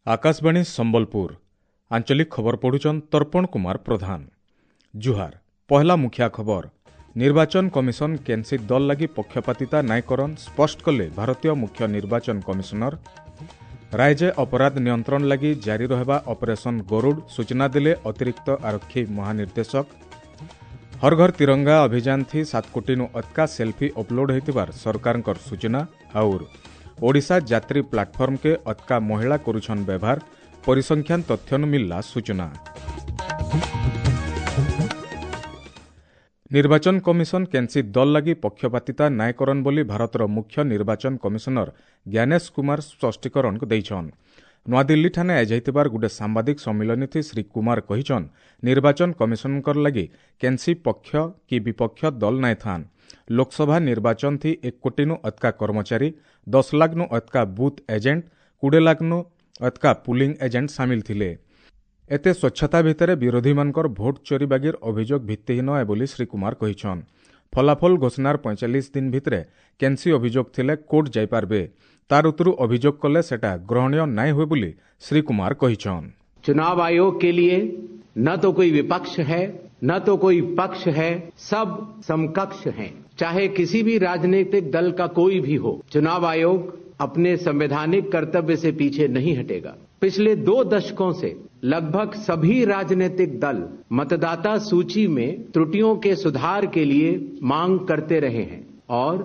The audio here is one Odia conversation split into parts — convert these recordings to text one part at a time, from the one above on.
ଆକାଶବାଣୀ ସମ୍ବଲପୁର ଆଞ୍ଚଳିକ ଖବର ପଢୁଛନ୍ ତର୍ପଣ କୁମାର ପ୍ରଧାନ। ଜୁହାର। ପହଲା ମୁଖିଆ ଖବର। ନିର୍ବାଚନ କମିଶନ କେନ୍ସି ଦଲ ଲାଗି ପକ୍ଷପାତିତା ନାଇଁ କରନ୍ ସ୍ପଷ୍ଟ କଲେ ଭାରତୀୟ ମୁଖ୍ୟ ନିର୍ବାଚନ କମିଶନର। ରାଜ୍ୟ ଅପରାଧ ନିୟନ୍ତ୍ରଣ ଲାଗି ଜାରି ରହିବା ଅପରେସନ ଗରୁଡ଼ ସୂଚନା ଦେଲେ ଅତିରିକ୍ତ ଆରକ୍ଷୀ ମହାନିର୍ଦ୍ଦେଶକ। ହର ଘର ତିରଙ୍ଗା ଅଭିଯାନ ଥି 7 କୋଟିନୁ ଅତ୍କା ସେଲ୍ଫି ଅପଲୋଡ ହୋଇଥିବାର ସରକାରଙ୍କର ସୂଚନା। ଆଉର ଓଡ଼ିଶା ଯାତ୍ରୀ ପ୍ଲାଟଫର୍ମକେ ଅତ୍କା ମହିଳା କରୁଛନ୍ ବ୍ୟବହାର, ପରିସଂଖ୍ୟାନ ତଥ୍ୟନୁ ମିଳିଲା ସୂଚନା। ନିର୍ବାଚନ କମିଶନ କେନ୍ସି ଦଲ ଲାଗି ପକ୍ଷପାତିତା ନାଇଁ କରନ୍ ବୋଲି ଭାରତର ମୁଖ୍ୟ ନିର୍ବାଚନ କମିଶନର ଜ୍ଞାନେଶ କୁମାର ସ୍ପଷ୍ଟୀକରଣ ଦେଇଛନ୍। ନୂଆଦିଲ୍ଲୀଠାନେ ଆୟୋଜିଥିବାର ଗୋଟେ ସାମ୍ବାଦିକ ସମ୍ମିଳନୀଥି ଶ୍ରୀ କୁମାର କହିଛନ୍, ନିର୍ବାଚନ କମିଶନଙ୍କର ଲାଗି କେନ୍ସି ପକ୍ଷ କି ବିପକ୍ଷ ଦଲ ନାଇଁ ଥାନ୍। ଲୋକସଭା ନିର୍ବାଚନ ଥି 1 କୋଟିନୁ ଅତ୍କା କର୍ମଚାରୀ, 10 ଲାଖନୁ ଅତ୍କା ବୁଥ୍ ଏଜେଣ୍ଟ, 20 ଲାଖନୁ ଅତ୍କା ପୁଲିଂ ଏଜେଣ୍ଟ ସାମିଲ ଥିଲେ। ଏତେ ସ୍ୱଚ୍ଛତା ଭିତରେ ବିରୋଧୀମାନଙ୍କର ଭୋଟ ଚୋରି ବାଗିର ଅଭିଯୋଗ ଭିତ୍ତିହୀନ ଏ ବୋଲି ଶ୍ରୀ କୁମାର କହିଛନ୍। ଫଳାଫଳ ଘୋଷଣାର 45 ଦିନ ଭିତରେ କେନ୍ସି ଅଭିଯୋଗ ଥିଲେ କୋର୍ଟ ଯାଇପାରବେ, ତାର ଉତ୍ତରୁ ଅଭିଯୋଗ କଲେ ସେଟା ଗ୍ରହଣୀୟ ନାଇଁ ହୁଏ ବୋଲି ଶ୍ରୀ କୁମାର କହିଛନ୍। चुनाव आयोग के लिए न तो कोई विपक्ष है न तो कोई पक्ष है, सब समकक्ष हैं। चाहे किसी भी राजनीतिक दल का कोई भी हो, चुनाव आयोग अपने संवैधानिक कर्तव्य से पीछे नहीं हटेगा। पिछले 2 दशकों से लगभग सभी राजनीतिक दल मतदाता सूची में त्रुटियों के सुधार के लिए मांग करते रहे हैं और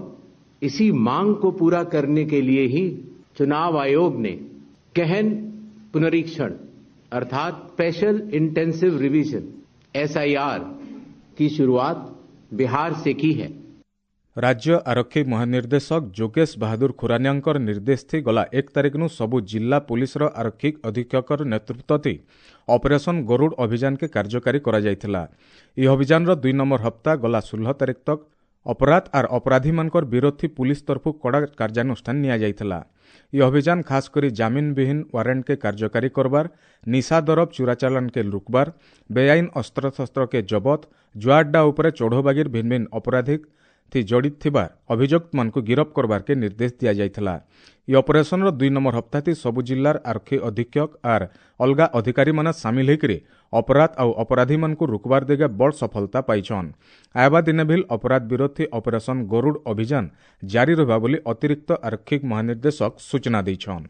इसी मांग को पूरा करने के लिए ही चुनाव आयोग ने गहन पुनरीक्षण अर्थात स्पेशल इंटेंसिव रिवीजन एसआईआर की शुरुआत बिहार से की है। राज्य आरक्षी महानिर्देशक जोगेश बहादुर खुरानियाଙ୍କର ନିର୍ଦ୍ଦେଶ ଥି ଗଲା 1 ତାରିଖନୁ ସବୁ ଜିଲ୍ଲା ପୁଲିସର ଆରକ୍ଷୀ ଅଧୀକ୍ଷକର ନେତୃତ୍ୱ ଥି ଅପରେସନ ଗରୁଡ଼ ଅଭିଯାନକେ କାର୍ଯ୍ୟକାରୀ କରାଯାଇଥିଲା। ଏହି ଅଭିଯାନର 2 ନମ୍ବର ହପ୍ତା ଗଲା 16 ତାରିଖ ତକ ଅପରାଧ ଆର୍ ଅପରାଧୀମାନଙ୍କର ବିରୋଧୀ ପୁଲିସ ତରଫୁ କଡ଼ା କାର୍ଯ୍ୟାନୁଷ୍ଠାନ ନିଆଯାଇଥିଲା। ଏହି ଅଭିଯାନ ଖାସ କରି ଜାମିନବିହୀନ ୱାରେଣ୍ଟକେ କାର୍ଯ୍ୟକାରୀ କରବାର, ନିଶା ଦରବ ଚୋରାଚାଲାଣକେ ରୋକବାର, ବେଆଇନ ଅସ୍ତ୍ରଶସ୍ତ୍ରକେ ଜବତ, ଜୁଆଡ୍ଡା ଉପରେ ଚଢ଼ୋବାଗିର ଭିନ୍ନ ଭିନ୍ନ ଅପରାଧିକ ଥି ଜଡ଼ିତ ଥିବା ଅଭିଯୁକ୍ତମାନଙ୍କୁ ଗିରଫ କରବାରକେ ନିର୍ଦ୍ଦେଶ ଦିଆଯାଇଥିଲା। ଏହି ଅପରେସନର 2 ନମ୍ବର ହପ୍ତାଥି ସବୁ ଜିଲ୍ଲାର ଆରକ୍ଷୀ ଅଧୀକ୍ଷକ ଆର୍ ଅଲଗା ଅଧିକାରୀମାନେ ସାମିଲ ହୋଇକରି ଅପରାଧ ଆଉ ଅପରାଧୀମାନଙ୍କୁ ରୋକବାର ଦିଗେ ବଡ଼ ସଫଳତା ପାଇଛନ୍। ଆଇବା ଦିନେ ଭିଲ୍ ଅପରାଧ ବିରୋଧୀ ଅପରେସନ ଗରୁଡ଼ ଅଭିଯାନ ଜାରି ରହିବା ବୋଲି ଅତିରିକ୍ତ ଆରକ୍ଷୀ ମହାନିର୍ଦ୍ଦେଶକ ସୂଚନା ଦେଇଛନ୍।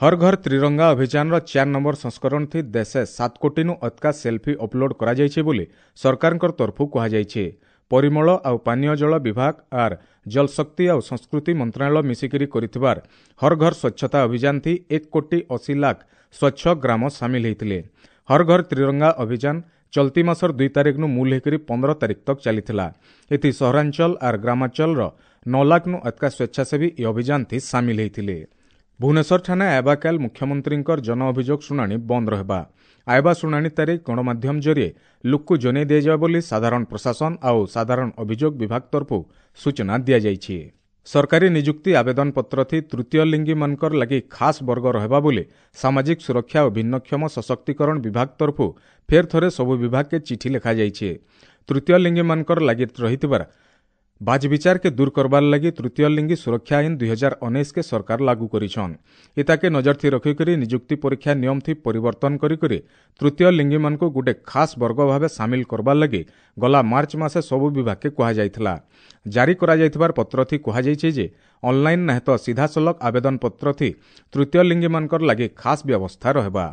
ହର ଘର ତ୍ରିରଙ୍ଗା ଅଭିଯାନର 4 ନମ୍ବର ସଂସ୍କରଣ ଥି ଦେଶେ 7 କୋଟିନୁ ଅତ୍କା ସେଲ୍ଫି ଅପଲୋଡ କରାଯାଇଛି ବୋଲି ସରକାରଙ୍କର ତରଫୁ କୁହାଯାଇଛି। ପରିମଳ ଆଉ ପାନୀୟ ଜଳ ବିଭାଗ ଆର୍ ଜଳଶକ୍ତି ଆଉ ସଂସ୍କୃତି ମନ୍ତ୍ରଣାଳୟ ମିଶିକିରି କରିଥିବାର ହର ଘର ସ୍ୱଚ୍ଛତା ଅଭିଯାନ ଥି 1 କୋଟି 80 ଲାଖ ସ୍ୱଚ୍ଛ ଗ୍ରାମ ସାମିଲ ହୋଇଥିଲେ। ହର ଘର ତ୍ରିରଙ୍ଗା ଅଭିଯାନ ଚଲତି ମାସର 2 ତାରିଖନୁ ମୂଲ ହେଇକରି 15 ତାରିଖ ତକ ଚାଲିଥିଲା। ଏଥି ସହରାଞ୍ଚଳ ଆର୍ ଗ୍ରାମାଞ୍ଚଳର 9 ଲାଖନୁ ଅତ୍କା ସ୍ୱେଚ୍ଛାସେବୀ ଏହି ଅଭିଯାନ ଥି ସାମିଲ ହୋଇଥିଲେ। ଭୁବନେଶ୍ୱର ଠାନେ ଆଇବାକାଲ ମୁଖ୍ୟମନ୍ତ୍ରୀଙ୍କର ଜନ ଅଭିଯୋଗ ଶୁଣାଣି ବନ୍ଦ ରହିବା। ଆଇବା ଶୁଣାଣି ତାରିଖ ଗଣମାଧ୍ୟମ ଜରିଏ ଲୋକକୁ ଜଣାଇ ଦିଆଯିବ ବୋଲି ସାଧାରଣ ପ୍ରଶାସନ ଆଉ ସାଧାରଣ ଅଭିଯୋଗ ବିଭାଗ ତରଫରୁ ସୂଚନା ଦିଆଯାଇଛି। ସରକାରୀ ନିଯୁକ୍ତି ଆବେଦନ ପତ୍ର ଥି ତୃତୀୟ ଲିଙ୍ଗୀମାନଙ୍କର ଲାଗି ଖାସ୍ ବର୍ଗ ରହିବା ବୋଲି ସାମାଜିକ ସୁରକ୍ଷା ଓ ଭିନ୍ନକ୍ଷମ ସଶକ୍ତିକରଣ ବିଭାଗ ତରଫରୁ ଫେର୍ ଥରେ ସବୁ ବିଭାଗକେ ଚିଠି ଲେଖାଯାଇଛି। ତୃତୀୟ ଲିଙ୍ଗୀମାନଙ୍କର ଲାଗି ରହିଥିବାର ବାଜବିଚାରକେ ଦୂର କରବାର ଲାଗି ତୃତୀୟ ଲିଙ୍ଗୀ ସୁରକ୍ଷା ଆଇନ 2019 କେ ସରକାର ଲାଗୁ କରିଛନ୍। ଇତାକେ ନଜର ଥି ରଖିକରି ନିଯୁକ୍ତି ପରୀକ୍ଷା ନିୟମ ଥି ପରିବର୍ତ୍ତନ କରିକରି ତୃତୀୟ ଲିଙ୍ଗୀମାନଙ୍କୁ ଗୋଟେ ଖାସ୍ ବର୍ଗ ଭାବେ ସାମିଲ କରବାର ଲାଗି ଗଲା ମାର୍ଚ୍ଚ ମାସେ ସବୁ ବିଭାଗକେ କୁହାଯାଇଥିଲା। ଜାରି କରାଯାଇଥିବାର ପତ୍ର ଥି କୁହାଯାଇଛି ଯେ ଅନଲାଇନ ନାହେଁ ତ ସିଧାସଳଖ ଆବେଦନ ପତ୍ର ଥି ତୃତୀୟ ଲିଙ୍ଗୀମାନଙ୍କର ଲାଗି ଖାସ୍ ବ୍ୟବସ୍ଥା ରହିବା।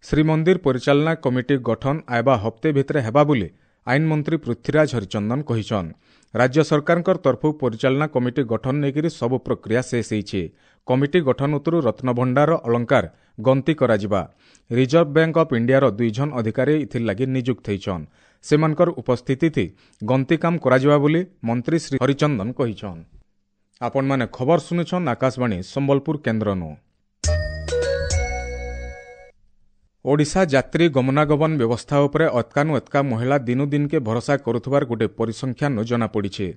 ଶ୍ରୀମନ୍ଦିର ପରିଚାଳନା କମିଟି ଗଠନ ଆଇବା ହପ୍ତେ ଭିତରେ ହେବା ବୋଲି ଆଇନ ମନ୍ତ୍ରୀ ପୃଥ୍ୱୀରାଜ ହରିଚନ୍ଦନ କହିଛନ୍। ରାଜ୍ୟ ସରକାରଙ୍କର ତରଫୁ ପରିଚାଳନା କମିଟି ଗଠନ ନେଇକରି ସବୁ ପ୍ରକ୍ରିୟା ଶେଷ ହେଇଛି। କମିଟି ଗଠନ ଉତ୍ତରୁ ରତ୍ନଭଣ୍ଡାର ଅଳଙ୍କାର ଗଣତି କରାଯିବା। ରିଜର୍ଭ ବ୍ୟାଙ୍କ ଅଫ୍ ଇଣ୍ଡିଆର 2 ଜଣ ଅଧିକାରୀ ଏଥିର୍ଲାଗି ନିଯୁକ୍ତ ହେଇଛନ୍। ସେମାନଙ୍କର ଉପସ୍ଥିତି ଗଣତି କାମ କରାଯିବା ବୋଲି ମନ୍ତ୍ରୀ ଶ୍ରୀ ହରିଚନ୍ଦନ କହିଛନ୍। ଆପଣମାନେ ଖବର ଶୁଣୁଛନ୍ ଆକାଶବାଣୀ ସମ୍ବଲପୁର କେନ୍ଦ୍ରନୁ। ଓଡ଼ିଶା ଯାତ୍ରୀ ଗମନାଗମନ ବ୍ୟବସ୍ଥା ଉପରେ ଅତ୍କାନୁ ଅତ୍କା ମହିଳା ଦିନୁ ଦିନକେ ଭରସା କରୁଥିବାର ଗୋଟେ ପରିସଂଖ୍ୟାନୁ ଜଣାପଡ଼ିଛି।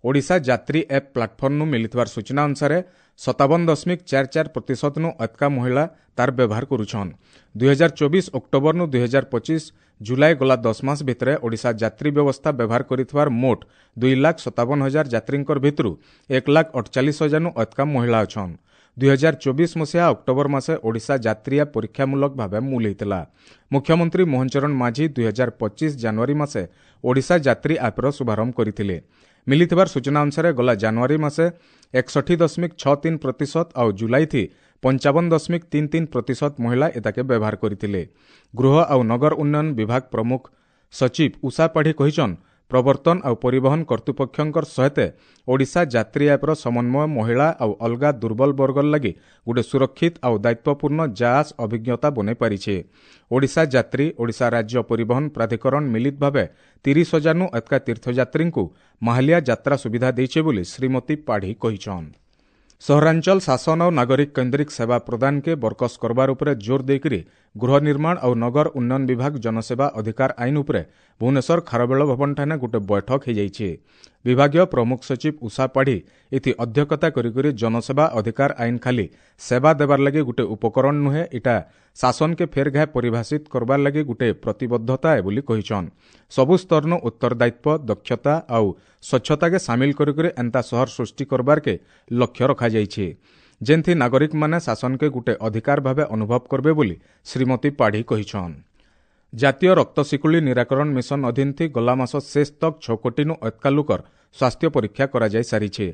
ଓଡ଼ିଶା ଯାତ୍ରୀ ଆପ୍ ପ୍ଲାଟଫର୍ମନୁ ମିଳିଥିବାର ସୂଚନା ଅନୁସାରେ 57.44% ନୁ ଅତ୍କା ମହିଳା ତାର ବ୍ୟବହାର କରୁଛନ୍। 2024 ଅକ୍ଟୋବରନୁ 2025 ଜୁଲାଇ ଗଲା 10 ମାସ ଭିତରେ ଓଡ଼ିଶା ଯାତ୍ରୀ ବ୍ୟବସ୍ଥା ବ୍ୟବହାର କରିଥିବାର ମୋଟ 2,57,000 ଯାତ୍ରୀଙ୍କର ଭିତରୁ 1,48,000 ନୁ ଅତ୍କା ମହିଳା ଅଛନ୍। 2024 ମସିହା ଅକ୍ଟୋବର ମାସେ ଓଡ଼ିଶା ଯାତ୍ରୀ ଆପ୍ ପରୀକ୍ଷାମୂଳକ ଭାବେ ମୂଲ ହୋଇଥିଲା। ମୁଖ୍ୟମନ୍ତ୍ରୀ ମୋହନ ଚରଣ ମାଝୀ 2025 ଜାନୁଆରୀ ମାସେ ଓଡ଼ିଶା ଯାତ୍ରୀ ଆପ୍ର ଶୁଭାରମ୍ଭ କରିଥିଲେ। ମିଳିଥିବାର ସୂଚନା ଅନୁସାରେ ଗଲା ଜାନୁଆରୀ ମାସେ 61.63% ଆଉ ଜୁଲାଇଥି 55.33% ମହିଳା ଏତାକେ ବ୍ୟବହାର କରିଥିଲେ। ଗୃହ ଆଉ ନଗର ଉନ୍ନୟନ ବିଭାଗ ପ୍ରମୁଖ ସଚିବ ଉଷା ପାଢ଼ୀ କହିଛନ୍, ପ୍ରବର୍ତ୍ତନ ଆଉ ପରିବହନ କର୍ତ୍ତୃପକ୍ଷଙ୍କର ସହିତ ଓଡ଼ିଶା ଯାତ୍ରୀ ଆପ୍ର ସମନ୍ୱୟ ମହିଳା ଆଉ ଅଲଗା ଦୁର୍ବଳ ବର୍ଗର ଲାଗି ଗୋଟେ ସୁରକ୍ଷିତ ଆଉ ଦାୟିତ୍ୱପୂର୍ଣ୍ଣ ଯାଆସ ଅଭିଜ୍ଞତା ବନାଇ ପାରିছে। ଓଡ଼ିଶା ଯାତ୍ରୀ, ଓଡ଼ିଶା ରାଜ୍ୟ ପରିବହନ ପ୍ରାଧିକରଣ ମିଳିତ ଭାବେ 30,000ନୁ ଏତକା ତୀର୍ଥଯାତ୍ରୀଙ୍କୁ ମାହାଲିଆ ଯାତ୍ରା ସୁବିଧା ଦେଇছে ବୋଲି ଶ୍ରୀମତୀ ପାଢ଼ୀ କହିଛନ୍। ସହରାଞ୍ଚଳ ଶାସନ ଆଉ ନାଗରିକ କେନ୍ଦ୍ରିକ ସେବା ପ୍ରଦାନକେ ବରକସ କରବାର ଉପରେ ଜୋର ଦେଇକରି ଗୃହ ନିର୍ମାଣ ଆଉ ନଗର ଉନ୍ନୟନ ବିଭାଗ ଜନସେବା ଅଧିକାର ଆଇନ ଉପରେ ଭୁବନେଶ୍ୱର ଖାରବେଳ ଭବନଠାନେ ଗୋଟେ ବୈଠକ ହୋଇଯାଇଛି। ବିଭାଗୀୟ ପ୍ରମୁଖ ସଚିବ ଉଷା ପାଢ଼ୀ ଏଥି ଅଧ୍ୟକ୍ଷତା କରିକରି ଜନସେବା ଅଧିକାର ଆଇନ ଖାଲି ସେବା ଦେବାର ଲାଗି ଗୋଟେ ଉପକରଣ ନୁହେଁ, ଇଟା ଶାସନକେ ଫେର ଘାଏ ପରିଭାଷିତ କରବାର ଲାଗି ଗୋଟେ ପ୍ରତିବଦ୍ଧତା ଏ ବୋଲି କହିଛନ୍। ସବୁ ସ୍ତରନୁ ଉତ୍ତରଦାୟିତ୍ୱ, ଦକ୍ଷତା ଆଉ ସ୍ୱଚ୍ଛତାକେ ସାମିଲ କରିକରି ଏନ୍ତା ସହର ସୃଷ୍ଟି କରବାରକେ ଲକ୍ଷ୍ୟ ରଖାଯାଇଛି, ଯେନ୍ଥି ନାଗରିକମାନେ ଶାସନକେ ଗୋଟେ ଅଧିକାର ଭାବେ ଅନୁଭବ କରବେ ବୋଲି ଶ୍ରୀମତୀ ପାଢ଼ୀ କହିଛନ୍। ଜାତୀୟ ରକ୍ତ ଶିକୁଳି ନିରାକରଣ ମିଶନ ଅଧୀନଥି ଗଲା ମାସ ଶେଷ ତକ୍ 6 କୋଟିନୁ ଏତକା ଲୋକର ସ୍ୱାସ୍ଥ୍ୟ ପରୀକ୍ଷା କରାଯାଇ ସାରିছে।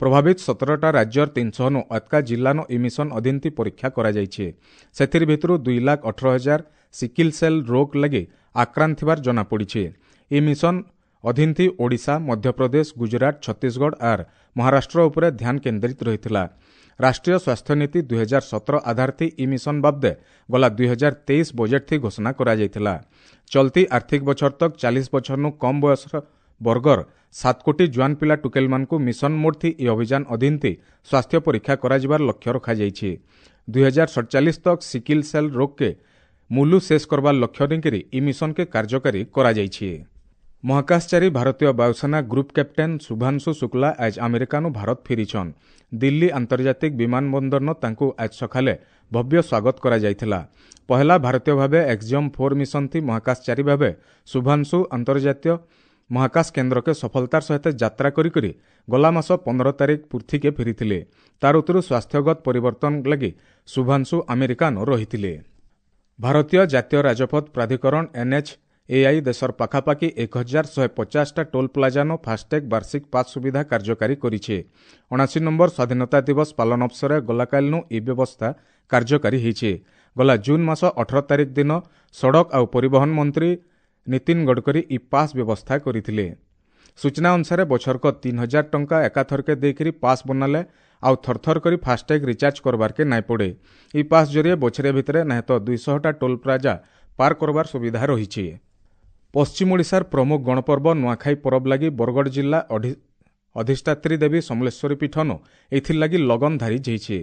ପ୍ରଭାବିତ 17ଟା ରାଜ୍ୟର 300ନୁ ଏତକା ଜିଲ୍ଲାନୁ ଇ ମିଶନ ଅଧୀନଥି ପରୀକ୍ଷା କରାଯାଇଛି। ସେଥିର ଭିତରୁ 2,18,000 ସିକିଲ ସେଲ୍ ରୋଗ ଲାଗି ଆକ୍ରାନ୍ତ ଥିବାର ଜଣାପଡ଼ିছে। ଇ ମିଶନ ଅଧୀନଥି ଓଡ଼ିଶା, ମଧ୍ୟପ୍ରଦେଶ, ଗୁଜରାଟ, ଛତିଶଗଡ଼ ଆର୍ ମହାରାଷ୍ଟ୍ର ଉପରେ ଧ୍ୟାନ କେନ୍ଦ୍ରିତ ରହିଥିଲା। ରାଷ୍ଟ୍ରୀୟ ସ୍ୱାସ୍ଥ୍ୟ ନୀତି 2017 ଆଧାରଥି ଇ ମିଶନ ବାବଦେ ଗଲା 2023 ବଜେଟ୍ଥି ଘୋଷଣା କରାଯାଇଥିଲା। ଚଲତି ଆର୍ଥିକ ବଛର ତକ୍ 40 ବଛରନୁ କମ୍ ବୟସର ବର୍ଗର 7 କୋଟି ଜୁଆନ ପିଲା ଟୁକେଲମାନଙ୍କୁ ମିଶନ ମୋଡ୍ଥି ଇ ଅଭିଯାନ ଅଧୀନଥି ସ୍ୱାସ୍ଥ୍ୟ ପରୀକ୍ଷା କରାଯିବାର ଲକ୍ଷ୍ୟ ରଖାଯାଇଛି। 2047 ତକ୍ ସିକିଲ ସେଲ୍ ରୋଗକେ ମୂଲୁ ଶେଷ କରବାର ଲକ୍ଷ୍ୟ ନେଇକରି ଇ ମିଶନକେ କାର୍ଯ୍ୟକାରୀ କରାଯାଇଛି। ମହାକାଶଚାରୀ ଭାରତୀୟ ବାୟୁସେନା ଗ୍ରୁପ୍ କ୍ୟାପ୍ଟେନ୍ ଶୁଭାଂଶୁ ଶୁକ୍ଲା ଆଜ ଆମେରିକାନୁ ଭାରତ ଫେରିଛନ୍। ଦିଲ୍ଲୀ ଆନ୍ତର୍ଜାତିକ ବିମାନ ବନ୍ଦରନ ତାଙ୍କୁ ଆଜ ସକାଳେ ଭବ୍ୟ ସ୍ୱାଗତ କରାଯାଇଥିଲା। ପହେଲା ଭାରତୀୟ ଭାବେ ଏକ୍ସିୟମ୍ 4 ମିଶନ ଥି ମହାକାଶଚାରୀ ଭାବେ ଶୁଭାଂଶୁ ଅନ୍ତର୍ଜାତୀୟ ମହାକାଶ କେନ୍ଦ୍ରକେ ସଫଳତାର ସହିତ ଯାତ୍ରା କରିକରି ଗଲା ମାସ 15 ତାରିଖ ପୃଥିକେ ଫେରିଥିଲେ। ତାର ଉତ୍ତରୁ ସ୍ୱାସ୍ଥ୍ୟଗତ ପରିବର୍ତ୍ତନ ଲାଗି ଶୁଭାଂଶୁ ଆମେରିକାନ ରହିଥିଲେ। ଭାରତୀୟ ଜାତୀୟ ରାଜପଥ ପ୍ରାଧିକରଣ NHAI ଦେଶର ପାଖାପାଖି 1150ଟା ଟୋଲ୍ ପ୍ଲାଜାନୁ ଫାଷ୍ଟଟ୍ୟାଗ୍ ବାର୍ଷିକ ପାସ୍ ସୁବିଧା କାର୍ଯ୍ୟକାରୀ କରିছে। 79 ନମ୍ବର ସ୍ୱାଧୀନତା ଦିବସ ପାଳନ ଅବସରରେ ଗଲାକାଲିନୁ ଏ ବ୍ୟବସ୍ଥା କାର୍ଯ୍ୟକାରୀ ହୋଇଛି। ଗଲା ଜୁନ୍ ମାସ 18 ତାରିଖ ଦିନ ସଡ଼କ ଆଉ ପରିବହନ ମନ୍ତ୍ରୀ ନୀତିନ ଗଡ଼କରୀ ଇ ପାସ୍ ବ୍ୟବସ୍ଥା କରିଥିଲେ। ସୂଚନା ଅନୁସାରେ ବଛରକ 3,000 ଟଙ୍କା ଏକାଥରକେ ଦେଇକରି ପାସ୍ ବନାଲେ ଆଉ ଥରଥର କରି ଫାଷ୍ଟଟ୍ୟାଗ୍ ରିଚାର୍ଜ କରବାରକେ ନାଇଁ ପଡ଼େ। ଇ ପାସ୍ ଜରିଏ ବଛରେ ଭିତରେ ନାଇଁ ତ 200ଟା ଟୋଲ୍ ପ୍ଲାଜା ପାର କରବାର ସୁବିଧା ରହିଛି। ପଶ୍ଚିମ ଓଡ଼ିଶାର ପ୍ରମୁଖ ଗଣପର୍ବ ନୂଆଖାଇ ପରବ ଲାଗି ବରଗଡ଼ ଜିଲ୍ଲା ଅଧିଷ୍ଠାତ୍ରୀ ଦେବୀ ସମଲେଶ୍ୱରୀ ପୀଠନୁ ଏଥିର୍ଲାଗି ଲଗନ ଧାରି ଯାଇଛି।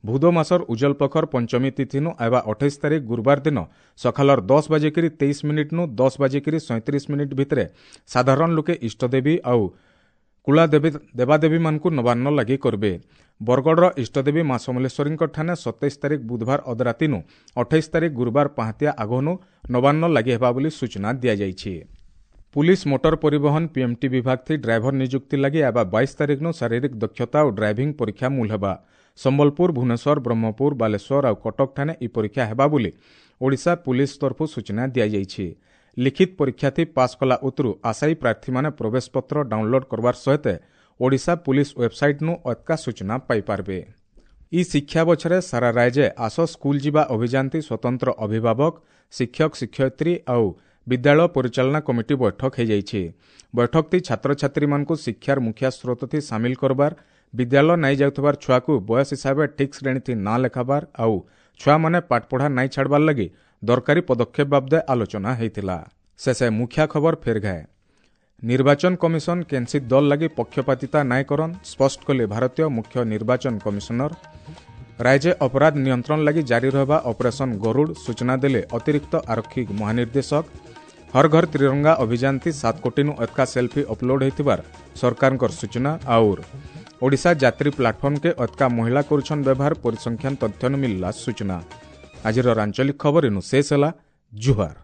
ଭୁଦ ମାସର ଉଜଲ ପଖର ପଞ୍ଚମୀ ତିଥିନୁ ଆଇବା 28 ତାରିଖ ଗୁରୁବାର ଦିନ ସକାଳର 10:23ନୁ 10:37 ଭିତରେ ସାଧାରଣ ଲୋକେ ଇଷ୍ଟଦେବୀ ଆଉ କୁଳା ଦେବାଦେବୀମାନଙ୍କୁ ନବାନ୍ନ ଲାଗି କରିବେ। ବରଗଡ଼ର ଇଷ୍ଟଦେବୀ ମା ସମଲେଶ୍ୱରୀଙ୍କ ଠାନେ 27 ତାରିଖ ବୁଧବାର ଅଧରାତିନୁ 28 ତାରିଖ ଗୁରୁବାର ପାହାନ୍ତିଆ ଆଗନୁ ନବାନ୍ନ ଲାଗି ହେବା ବୋଲି ସୂଚନା ଦିଆଯାଇଛି। ପୁଲିସ ମୋଟର ପରିବହନ ପିଏମ୍ଟି ବିଭାଗ ଥି ଡ୍ରାଇଭର ନିଯୁକ୍ତି ଲାଗି ଆଇବା 22 ତାରିଖନୁ ଶାରୀରିକ ଦକ୍ଷତା ଓ ଡ୍ରାଇଭିଂ ପରୀକ୍ଷା ମୂଲ ହେବା। ସମ୍ବଲପୁର, ଭୁବନେଶ୍ୱର, ବ୍ରହ୍ମପୁର, ବାଲେଶ୍ୱର ଆଉ କଟକ ଠାନେ ଇ ପରୀକ୍ଷା ହେବା ବୋଲି ଓଡ଼ିଶା ପୁଲିସ ତରଫରୁ ସୂଚନା ଦିଆଯାଇଛି। ଲିଖିତ ପରୀକ୍ଷାଥି ପାସ୍ କଲା ଉତରୁ ଆଶାୟୀ ପ୍ରାର୍ଥୀମାନେ ପ୍ରବେଶପତ୍ର ଡାଉନଲୋଡ୍ କରବାର ସହିତ ଓଡ଼ିଶା ପୁଲିସ ୱେବସାଇଟ୍ନୁ ଅତ୍କା ସୂଚନା ପାଇପାରବେ। ଇ ଶିକ୍ଷା ବଛରେ ସାରା ରାଜ୍ୟ ଆସ ସ୍କୁଲ ଯିବା ଅଭିଯାନଥି ସ୍ୱତନ୍ତ୍ର ଅଭିଭାବକ, ଶିକ୍ଷକ, ଶିକ୍ଷୟିତ୍ରୀ ଆଉ ବିଦ୍ୟାଳୟ ପରିଚାଳନା କମିଟି ବୈଠକ ହୋଇଯାଇଛି। ବୈଠକଥି ଛାତ୍ରଛାତ୍ରୀମାନଙ୍କୁ ଶିକ୍ଷାର ମୁଖିଆ ସ୍ରୋତଥି ସାମିଲ କରବାର, ବିଦ୍ୟାଳୟ ନାଇଁ ଯାଉଥିବାର ଛୁଆକୁ ବୟସ ହିସାବେ ଠିକ୍ ଶ୍ରେଣୀଥି ନାଁ ଲେଖାବାର ଆଉ ଛୁଆମାନେ ପାଠପଢ଼ା ନାଇଁ ଛାଡ଼ବାର ଲାଗି ଦରକାରୀ ପଦକ୍ଷେପ ବାବଦେ ଆଲୋଚନା ହୋଇଥିଲା। ଶେଷେ ମୁଖିଆ ଖବର ଫେର ଘାଏ। ନିର୍ବାଚନ କମିଶନ କେନ୍ସି ଦଲ ଲାଗି ପକ୍ଷପାତିତା ନାଇଁ କରନ୍, ସ୍ପଷ୍ଟ କଲେ ଭାରତୀୟ ମୁଖ୍ୟ ନିର୍ବାଚନ କମିଶନର। ରାଜ୍ୟ ଅପରାଧ ନିୟନ୍ତ୍ରଣ ଲାଗି ଜାରି ରହିବା ଅପରେସନ ଗରୁଡ଼, ସୂଚନା ଦେଲେ ଅତିରିକ୍ତ ଆରକ୍ଷୀ ମହାନିର୍ଦ୍ଦେଶକ। ହର ଘର ତ୍ରିରଙ୍ଗା ଅଭିଯାନଥି 7 କୋଟିନୁ ଏତକା ସେଲ୍ଫି ଅପଲୋଡ୍ ହୋଇଥିବାର ସରକାରଙ୍କର ସୂଚନା। ଆଉର୍ ଓଡ଼ିଶା ଯାତ୍ରୀ ପ୍ଲାଟଫର୍ମକେ ଅତକା ମହିଳା କରୁଛନ୍ ବ୍ୟବହାର, ପରିସଂଖ୍ୟାନ ତଥ୍ୟନୁ ମିଳିଲା ସୂଚନା। ଆଜିର ଆଞ୍ଚଳିକ ଖବର ଇନୁ ଶେଷ ହେଲା। ଜୁହାର।